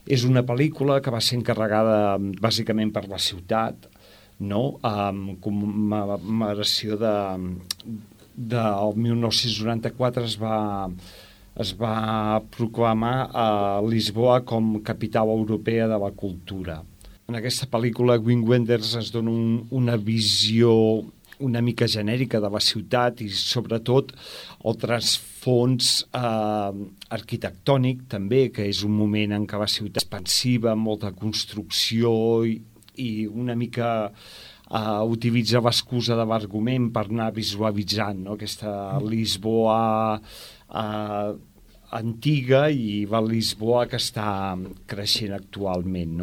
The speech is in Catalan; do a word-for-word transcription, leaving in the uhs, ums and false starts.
És una pel·lícula que va ser encarregada bàsicament per la ciutat, no? Amb commemoració de, del mil nou-cents noranta-quatre es va, es va proclamar a Lisboa com capital europea de la cultura. En aquesta pel·lícula, Wim Wenders ens dona un, una visió una mica genèrica de la ciutat i, sobretot, el trasfons eh, arquitectònic, també, que és un moment en què la ciutat és expansiva, molta construcció i, i una mica eh, utilitza l'excusa de l'argument per anar visualitzant, no? Aquesta Lisboa eh, antiga i la Lisboa que està creixent actualment, no?